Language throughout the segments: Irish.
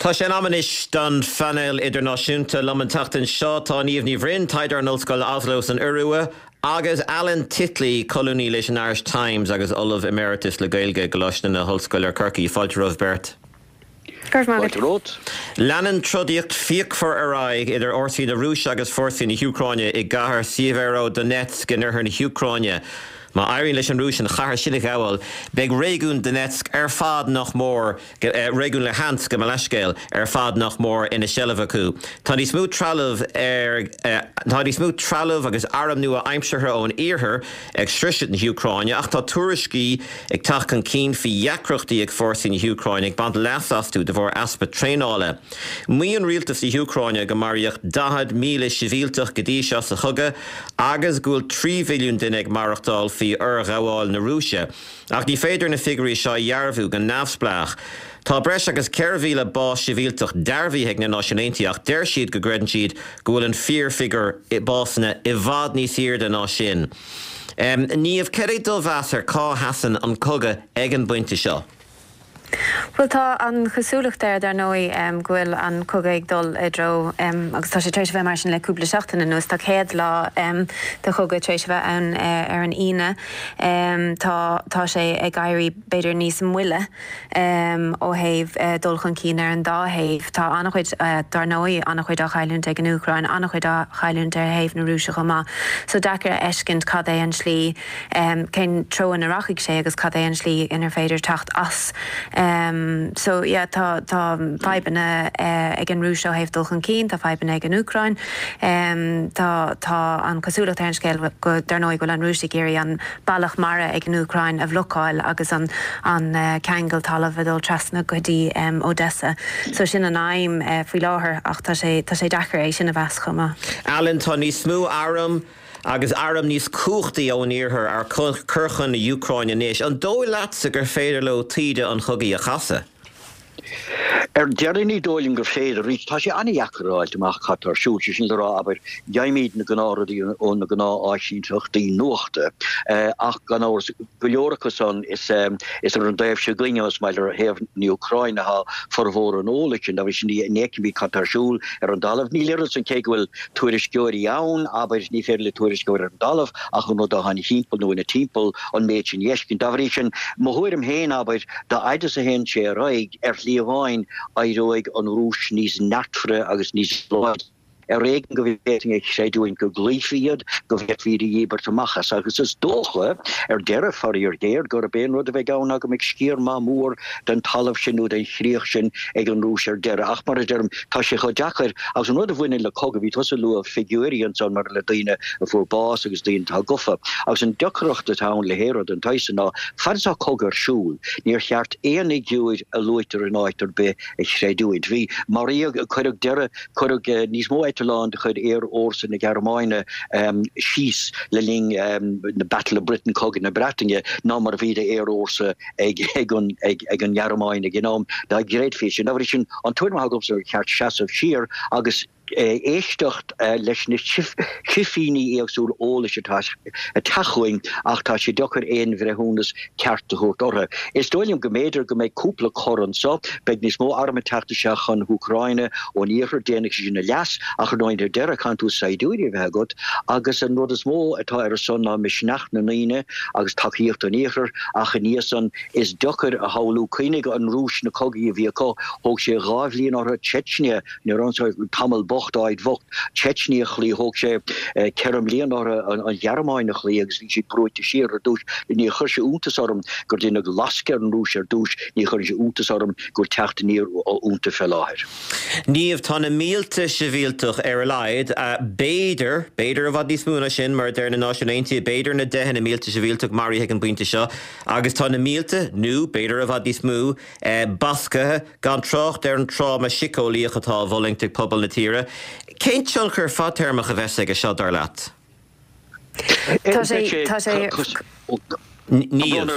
Tá sé in am anois don phainéal idirnáisiúnta. Liom an tseachtain seo tá Niamh Ní Bhroin, taighdeoir in Ollscoil Oslo san Iorua, agus Alan Titley, colúnaí leis an Irish Times agus Ollamh Emeritus le Gaeilge i gColáiste na hOllscoile Corcaigh. Fáilte romhaibh beirt. Go raibh maith agat. Leanann trodaíocht fíochmhar ar aghaidh idir fhórsaí na Rúise agus fórsaí na hÚcráine i gcathair Sievierodonetsk in oirthear na hÚcráine. Má éiríonn leis an Rúis an chathair sin a ghabháil, beidh réigiún Donetsk ar fad nach mór réigiún Luhansk, gabh mo leithscéal, ar fad nach mór ina seilbh acu. Tá níos mó trealamh ar Tá níos mó trealamh agus arm nua-aimseartha ón iarthar ag sroiseadh na hÚcráine ach tá tuairiscí ag teacht chun cinn faoi dheacrachtaí ag fórsaí na hÚcráine ag baint leas astu de bharr easpa traenála. Maíonn rialtas na hÚcráine go maraíodh 40,000 sibhialtach go dtí seo sa chogadh agus go bhfuil 3 mhilliún duine ag maireachtáil faoi fhorghabháil na Rúise. Ach ní féidir na figiúirí seo a dhearbhú go neamhspleách. Tá breis agus 4,000 bás sibhialtach dearbhaithe ag na Náisiúin Aontaithe ach deir siad go gcreideann siad go bhfuil an fíorfhigiúr básanna i bhfad níos airde ná sin. Niamh, cad é do mheas ar cá sheasann an cogadh ag an bpointe seo? Bhuel, tá an chosúlacht air, dar ndóigh, go bhfuil an cogadh ag dul i dtreo, agus tá sé tar éis a bheith mar sin le cúpla seachtain anuas, tá 100 lá de chogadh tar éis a bheith ann ar an Aoine. Tá, tá sé ag éirí b'fhéidir níos moille ó thaobh dul chun cinn ar an dá thaobh. Tá an-chuid, dar ndóigh, an-chuid á chailliúint ag an Úcráin, an-chuid á chailliúint ar thaobh na Rúise chomh maith. So deacair a fheiscint cad é an tslí. cén treo ina rachaidh sé agus cad é an slí inar féidir teacht as. So yeah tá tá fadhbanna ag an Rúis ó thaobh dul chun cinn, tá fadhbanna ag an Úcráin. Tá tá an chosúlacht ar an scéal go dar ndóigh go bhfuil an Rúis ag iarraidh an bealach mara ag an Úcráin a bhlocáil agus an an ceangal talaimh a dul trasna go dtí Odessa. So sin an aidhm faoi láthair ach tá sé tá sé deacair é sin a mheas chomh maith. Alan, tá níos mó arm Agus airm níos cumhachtaí ón iarthar á cur chun na hÚcráine anois, an dóigh leatsa gur féidir leo taoide an chogaidh a chasadh? Ar deireadh, ní dóigh liom gur féidir. Arís, tá sé an-dheacair a fháilt amach cad tá ar siúl, sé sin le rá, abair, gheibhimid na gnáthrudaí ó na gnáth-áisínteachtaí nuachta, ach gan amhras, go leor acu san, is ar an dtaobh seo againne, más maith leat, ar thaobh na hÚcráine atá formhór an eolais sin. Dá bhrí sin, ní fheicimid cad tá ar siúl ar an dtalamh. Níl oiread san, cé go bhfuil tuairisceoirí ann, abair, ní féidir le tuairisceoir ar an dtalamh ach an rud atá ina thimpeall nó ina timpeall an méid sin a fheiscint. Dá bhrí sin, mo thuairim féin, abair, dá fhaid is a théann sé ar aghaidh, ar shlí amháin, éireoidh an Rúis níos neartmhaire agus níos láidre. Ar éigean go bhféadfainn a chreidiúint go gcloífí iad, go bhféadfaí iad a dhíbirt amach as. Agus is dócha, ar deireadh, faraor géar, gurb é an rud a bheidh ann ná go mbeidh sciar maith mór den talamh sin nó den chríoch sin ag an Rúis ar deireadh. Ach mar a deirim, tá sé chomh deacair agus an rud a bhaineann le cogadh, bhí tusa ag lua figiúirí ansan maidir le daoine a fuair bás agus daoine atá gofa. Agus an deacracht atá ann le haon rud den tsaghas san ná fad is atá cogadh ar siúl, níor cheart aon fhigiúir a luaitear in áit ar bith a chreidiúint. Bhí, maraíodh, cuireadh deireadh, cuireadh níos mó eitleán de chuid aerfhórsa na Gearmáine síos le linn na Battle of Britain, Cogadh na Breataine, ná mar a bhí d'aerfhórsa ag an nGearmáin ag an am, dá gcreidfí sin. Dá bhrí sin, an tuairim atá agamsa gur cheart seasamh siar agus éisteacht leis na cifíní éagsúla eolais atá ag teacht chugainn ach tá sé deacair aon bhreithiúnas ceart a thabhairt orthu. Is dóigh liom go mb'fhéidir go mbeidh cúpla cor anseo, beidh níos mó arm ag teacht isteach chun na hÚcráine ón iarthar, déanfaidh sé sin a leas ach ar ndóigh ar deireadh caithfidh tú saighdiúirí a bheith agat agus an rud is mó atá ar a son ná misneach na ndaoine agus tacaíocht an iarthair ach ina dhiaidh san is deacair a shamhlú. Cuimhnigh an Rúis na cogaí a bhí acu, thóg sé 2 bhliain orthu Chechnya, níor ionsaigh tamall bocht, áit bhocht, Chechnya a chloí, thóg sé 4 mbliana orthu an Ghearmáin a chloí agus bhí siad brúite siar ar dtús. Ní chuir sé iontas orm gur deineadh lascadh ar an Rúis ar dtús, ní chuireann sé iontas orm go bhfuil teacht aniar iontu fé láthair. Niamh, tá na mílte sibhialtach ar a laghad, b'fhéidir, b'fhéidir i bhfad níos mó ná sin, mar a deir na Náisiúin Aontaithe, b'fhéidir na deicheanna mílte sibhialtach maraithe ag an bpointe seo, agus tá na mílte, nó b'fhéidir i bhfad níos mó, basctha, gan trácht ar an tráma síceolaíoch atá á bhfulaingt ag pobal na tíre. Cén tionchar fadtéarmach a bheas aige seo, dar leat? Tá sé, tá sé. Niamh.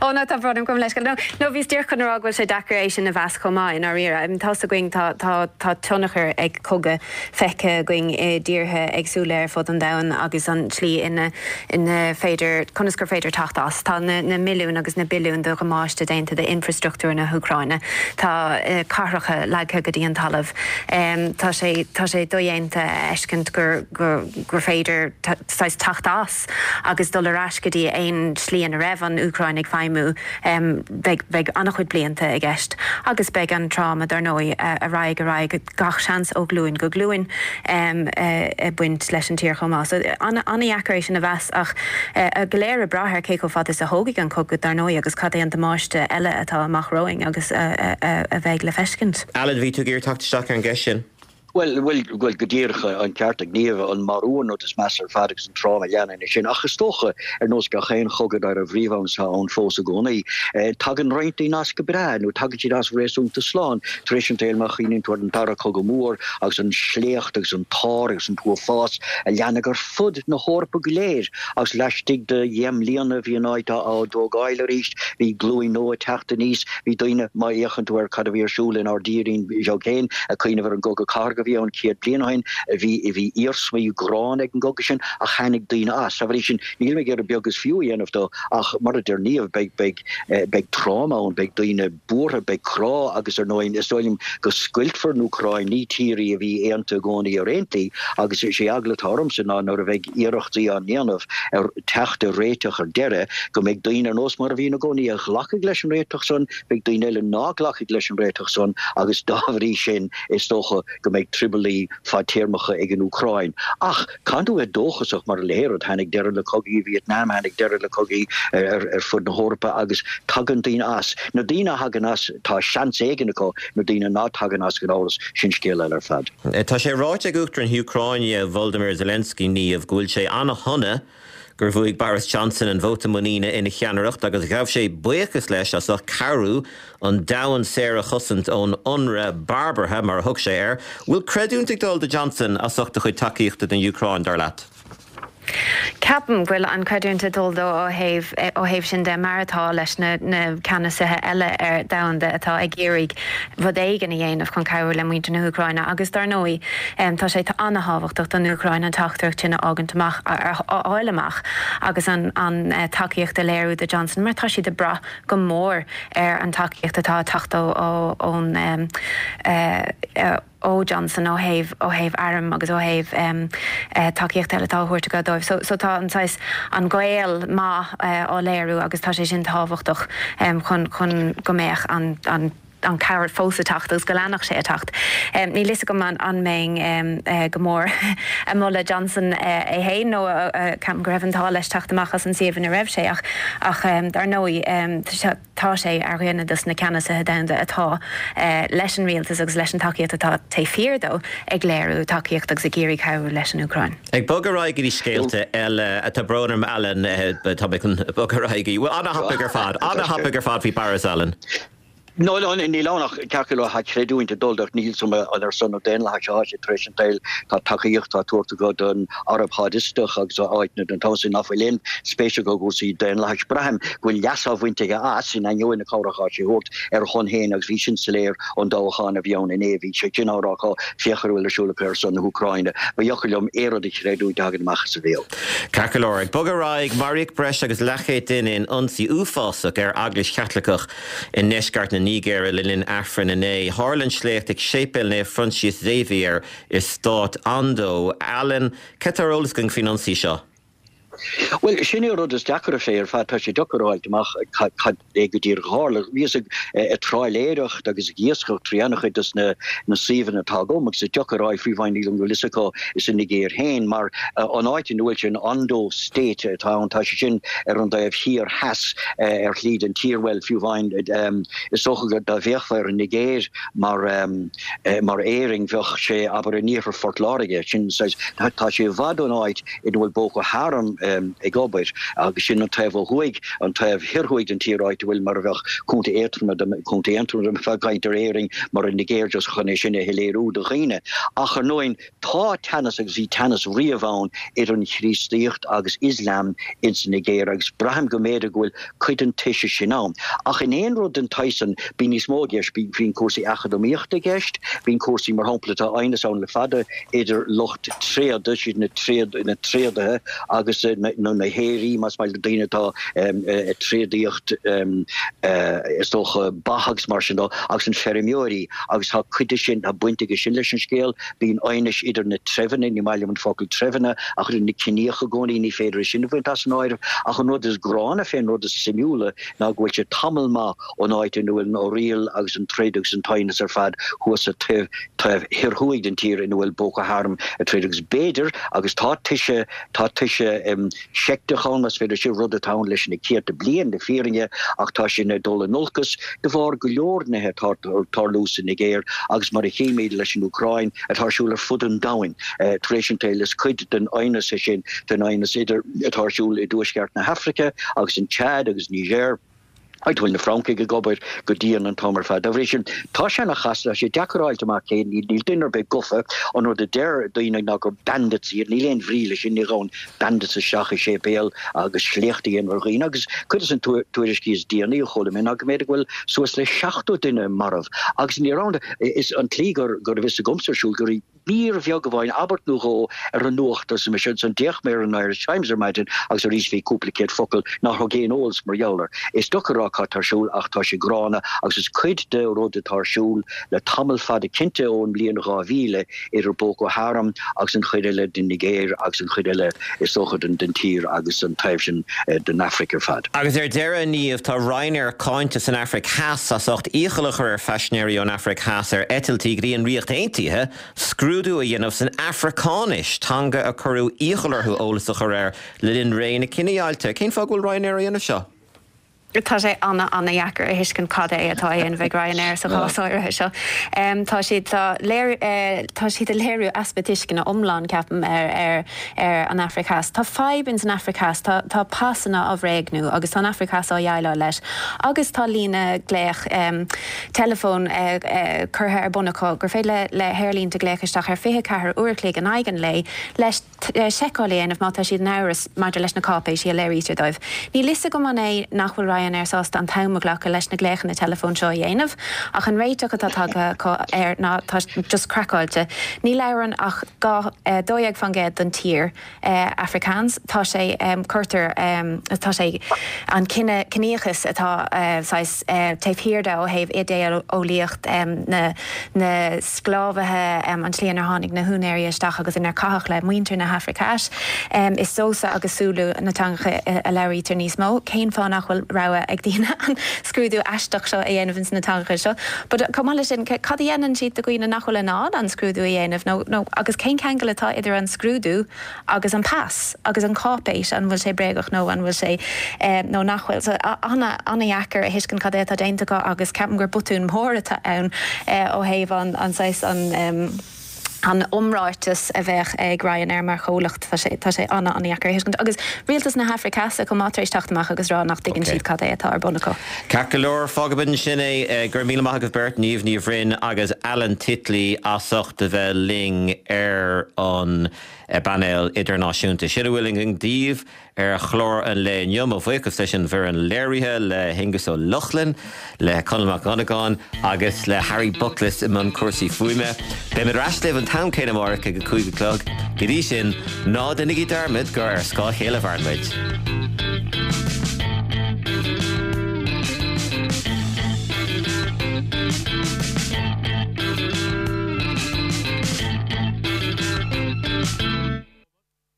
Ó no, tá brón orm, gabh mo leithscéal. No, no, bhíos díreach chun a rá go bhfuil sé deacair é sin a mheas chomh maith, i ndáiríre. I mean, tá's againn, tá, tá, tá tionchar ag cogadh feicthe againn i dtíortha éagsúla ar fud an domhain agus an tslí ina, ina féidir, conas gur féidir teacht as. Tá na, na milliúin agus na billiúin de dhamáiste déanta d'infreastruchtúr na hÚcráine. Tá cathracha leagtha go dtí an talamh. Tá sé, tá sé dodhéanta a fheiscint gur, gur, gur féidir saghas teacht as agus dul ar ais go dtí aon slí ina raibh an Úcráin ag feidhmiú. Beidh, beidh an-chuid blianta i gceist agus beidh an tráma, dar ndóigh, a raghaidh ar aghaidh gach seans ó ghlúin go glúin ag baint leis an tír chomh maith. So an-dheacair é sin a mheas ach go léir ag brath ar cé chomh fada is a thógfaidh an cogadh, dar ndóigh, agus cad é an damáiste eile atá amach romhainn agus a bheidh le feiscint. Alan, bhí tú ag iarraidh teacht isteach ar an gceist sin. Bhuel, bhuel, bhuel, go díreach, an ceart ag Niamh, an marú an rud is measa ar fad agus an tráma a leanann é sin. Ach is dócha, ar nós gach aon chogadh dá raibh riamh ann is atá ann fós i gcónaí, tagann roinnt daoine as go breá, nó tagann siad as réasúnta slán, tar éis an tsaoil má chuimhníonn tú ar an Dara Cogadh Mór agus an sléacht agus an t-ár agus an t-uafás a leanadh ar fud na hEorpa go léir agus laistigh de dheich mbliana bhí an áit á dtógáil arís, bhí glúin nua ag teacht aníos. Bhí daoine, má fhéachann tú ar cad a bhí ar siúl inár dtírín bheag féin, ag cuimhneamh ar an gcogadh cathartha a bhí ann 100 bliain ó shin, bhí, bhí iarsmaí gránna ag an gcogadh sin ach tháinig daoine as. Dá bhrí sin, níl mé ag iarraidh beag is fiú a dhéanamh dó ach mar a deir Niamh, beidh, beidh, beidh tráma ann, beidh daoine buartha, beidh crá agus ar ndóigh is dóigh liom go scoiltfear an Úcráin, ní tír í a bhí aontaithe i gcónaí ar aon tslí agus is é eagla atá ormsa ná nuair a bheidh iarrachtaí á ndéanamh ar teacht ar réiteach ar deireadh, go mbeidh daoine ar nós mar a bhí ina gcónaí a ghlacfaidh leis an réiteach san, beidh daoine eile ná glacfaidh leis an réiteach san agus dá bhrí sin is dócha go mbeidh trioblóidí fadtéarmacha ag an Úcráin. Ach caithfidh tú a bheith dóchasach mar a leithéid, tháinig deireadh le cogaí i Vietnam, tháinig deireadh le cogaí ar fud na hEorpa agus tagann daoine as. Na daoine a thagann as, tá seans éigin acu, na daoine ná tagann as gan amhras, sin scéal eile ar fad. Tá sé ráite ag Uachtarán na hÚcráine, Volodymyr Zelensky, Niamh, go bhfuil sé an-shona gur bhuaigh Boris Johnson an vóta muiníne ina cheannaireacht agus ghabh sé buíochas leis as ucht cabhrú an domhan saor a chosaint ón ionradh barbartha, mar a thug sé air. Bhfuil creidiúint ag dul do Johnson as ucht a chuid tacaíochta don Úcráin, dar leat? Ceapaim go bhfuil an creidiúint ag dul dó ó thaobh ó thaobh sin de, mar atá leis na na ceannasaithe eile ar domhanda atá ag iarraidh rud éigin a dhéanamh chun cabhrú le muintir na hÚcráine agus dar ndóigh tá sé an-thábhachtach don Úcráin an teachtaireacht sin a fhágaint amach a fháil amach agus an an tacaíocht a léiriú do Johnson mar tá siad ag brath go mór ar an tacaíocht atá ag teacht ó ón ó Johnson ó thaobh ó thaobh airm agus ó thaobh tacaíocht eile atá á thabhairt aige dóibh. So so tá an saghas an gaol maith á léiriú agus tá sé sin tábhachtach chun chun go mbeadh an an an cabhair fós ag teacht agus go leanfadh sé ag teacht. Níl fhios agam an an mbeinn go mór ag moladh Johnson é féin nó ceapaim go raibh an t-ádh leis teacht amach as an suíomh ina raibh sé ach ach dar ndóigh Tá sé ar dhuine dos na ceannasaithe domhanda atá leis an rialtas agus leis an tacaíocht atá taobh thiar dó ag léiriú tacaíocht agus ag iarraidh cabhrú leis an Úcráin. Ag bogadh ar aghaidh go dtí scéalta eile, tá brón orm Alan, tá mé chun bogadh ar aghaidh go dtí, bhuel ana-thapaidh ar fad, ana-thapaidh ar fad faoi Boris, Alan. No, no, níl ann ach ceart go leor tá creidiúint ag dul dó ach níl 'fhios a'm an ar son an daonlathais atá sé tar éis an tsaoil. Tá tacaíocht á tabhairt acu don Araib Shádistach agus áiteanna den tsaghas sin nach bhfuil aon spéis acu i gcúrsaí daonlathais. Braithim go bhfuil leas á bhaint aige as, in ainneoin na cabhrach atá sé a thabhairt ar a shon féin agus bhí sin soiléir ón dtoghchán a bhí ann inné. Bhí sé sin á rá acu, féach ar a bhfuil ar siúl acu ar son na hÚcráine. Ba dheacair liom aon rud a chreidiúint a thagann amach as a bhéal. Ceart go leor. Ag bogadh ar aghaidh, maraíodh breis agus leathchéad duine in ionsaí uafásach ar eaglais Chaitliceach i ndeisceart na Nigéire le linn Aifrinn inné. Tharla an sléacht ag Séipéal Naomh Proinsias Xavier i stát Ondo. Alan, cad tá ar eolas againn faoin ionsaí seo? Bhuel, sin é an rud is deacra a phlé ar fad. Tá sé deacair a fháilt amach cad é go díreach a tharla. Bhíothas ag trálaeireacht agus ag iascach trí an-chuid de na suíomhanna atá agam agus is deacair a fháil fiú amháin níl an bhfuil fhios acu sa Nigéir féin mar an áit ina bhfuil sé, an Ondo State atá ann, tá sé sin ar an dtaobh thiar theas ar shlí den tír. Bhuel, fiú amháin is dócha go dá bhféachfá ar an Nigéir mar mar Éirinn bheadh sé, abair, in iarthar Phort Láirge. Sin saghas, tá sé i bhfad ón áit ina bhfuil Boko Haram. ag obair agus sin an taobh ó thuaidh, an taobh thiar thuaidh den tír áit a bhfuil mar a bheadh Contae Aontroma, Contae Aontroma dá mbeifeá ag caint ar Éirinn mar an Nigéir just chun é sin a shoiléiriú do dhaoine. Ach ar ndóigh tá teannas agus bhí teannas riamh ann idir an Chríostaíocht agus Ioslam ins an Nigéir agus braithim go mb'fhéidir go bhfuil cuid den toise sin ann. Ach in aon rud den tsaghas san, bíonn níos mó i gceist, bíonn cúrsaí eacnamaíochta i gceist, bíonn cúrsaí, mar shampla, tá aighneas ann le fada idir lucht tréada, siad na na tréadaithe agus nó na haoirí, más maith leat, daoine atá ag tréadaíocht is dócha ba agus mar sin dó, agus an feirmeoirí agus tá cuid de sin, tá baint aige sin leis an scéal. Bíonn aighnis idir na treibheanna, ní maith liom an focal treibheanna, ach idir na ciníocha i gcónaí, ní féidir é sin a bhaint as an áireamh. Ach an rud is gránna fén rud is suimiúla ná go bhfuil sé tamall maith ón áit ina bhfuil an fhorriail agus an troid agus an t-aighneas ar fad thuas sa taobh taobh thiar thuaidh den tír ina bhfuil Boko Haram ag troid agus b'fhéidir, agus tá toise, tá toise seicteach ann, más féidir sin, rud atá ann leis na céadta bliain, le fírinne, ach tá sin ag dul in olcas de bharr go leor nithe atá ag tarlú sa Nigéir agus mar a chímid leis an Úcráin, atá ar siúl ar fud an domhain tar éis an tsaoil. Is cuid den aighneas é sin, den aighneas idir atá ar siúl i dtuaisceart na hAfraice agus an Chad agus Niger. Áit a bhfuil na Francaigh ag obair go dian an t-am ar fad. Dá bhrí sin, tá sé ana chasta, tá sé deacair a fháilt amach cé, níl duine ar bith gofa. An rud a deir daoine ná gur bandits iad, níl aon bhrí leis sin, ní ghabhann bandits isteach i séipéal agus sléacht a dhéanamh ar dhaoine agus cuid des na tuairiscí is déanaí a chuala mé ná go mb'fhéidir go bhfuil suas le 70 duine marbh agus ní raibh, is an tslí go raibh fhios agamsa ar siúl go raibh. mír bheag amháin, abairt nó dhó, ar an nuacht, arsa mise. Ansan d'fhéach mé ar an Irish Times ar maidin agus arís bhí cúpla céad focal nár thug aon eolas mar gheall air. Is deacair a rá cad tá ar siúl ach tá sé gránna agus is cuid de rud atá ar siúl le tamall fada cinnte ón mbliain 2000 idir Boko Haram agus an chuid eile den Nigéir agus an chuid eile is dócha den tír agus an taobh sin den Afraic ar fad. Agus ar deireadh, a Niamh, tá Ryanair cáinte san Afraic Theas as ucht iachall a chur ar phaisinéirí ón Afraic Theas ar eitiltí go dtí an Ríocht Aontaithe scrúdú a dhéanamh san Afracáinis, teanga a cuireadh iachall orthu eolas a chur air le linn ré na cinedheighilte. Cén fáth go bhfuil Ryanair á dhéanamh seo? Tá sé ana-ana-dheacair a thuiscint cad é atá á dhéanamh ag Ryanair sa chás áirithe seo. Tá siad tá léir tá siad ag léiriú easpa tuisceana iomlán, ceapaim, ar ar ar an Afraic Theas. Tá fadhb ins an Afraic Theas, tá tá pasanna á bhréagnú agus tá an Afraic Theas á dhéileáil leis agus tá líne glaoch teileafóin curtha ar bun acu gur féidir le le haerlínte glaoch isteach ar 24 uair a chloig in aghaidh an lae leis seiceáil a dhéanamh má tá siad in amhras maidir leis na cáipéisí a léirítear dóibh. Níl fhios agam an é nach bhfuil Ryanair sásta an t-am a ghlacadh leis na glaochanna teileafóin seo a dhéanamh, ach an réiteach atá tagtha acu air ná tá just craiceáilte. Ní labhrann ach 12% den tír Afrikaans. Tá sé, cuirtear, tá sé, an cine, ciníochas atá saghas taobh thiar de ó thaobh idé-eolaíocht na, na sclábhaithe, an tslí inar tháinig na húinéirí isteach agus inar caitheadh le muintir na hAfraice Theas. Is Xhosa agus Zulu na teangacha a labhraítear níos mó. Cén fáth nach bhfuil rogha ag daoine an scrúdú aisteach seo a dhéanamh ins na teangacha seo? But chomh maith leis sin, cad a dhéanann siad do dhaoine nach bhfuil in ann an scrúdú a dhéanamh nó, nó agus cén ceangal atá idir an scrúdú agus an pas agus an cháipéis, an bhfuil sé bréagach nó an bhfuil sé, nó nach bhfuil. So ana, ana-dheacair a thuiscint cad é atá déanta acu agus ceapaim gur botún mór atá ann ó thaobh an, an saghas, an, an iomráiteas a bheadh ag Ryanair mar chomhlacht. Tá sé, tá sé ana, ana-dheacair a thuiscint. Agus rialtas na hAfraice Theas chomh maith tar éis teacht amach agus rá nach dtuigeann siad cad é atá ar bun acu. Ceart go leor, fágfaimid ansin é. Go raibh míle maith agaibh beirt, Niamh Ní Bhroin agus Alan Titley as ucht a bheith linn ar an bpainéal idirnáisiúnta. Sin a bhfuil againn daoibh ar chlár an lae inniu. Mo bhuíochas leis an bhfoireann léirithe, le hAonghus Ó Lochlainn, le Conall Mac Dhonnagáin agus le Harry Bucklis i mbun cúrsaí fuaime. Beimid ar ais libh an t-am céanna amárach ag a 5 a chlog. Go dtí sin, ná déanaigí dearmad gur ar scáth a chéile a mhaireann muid.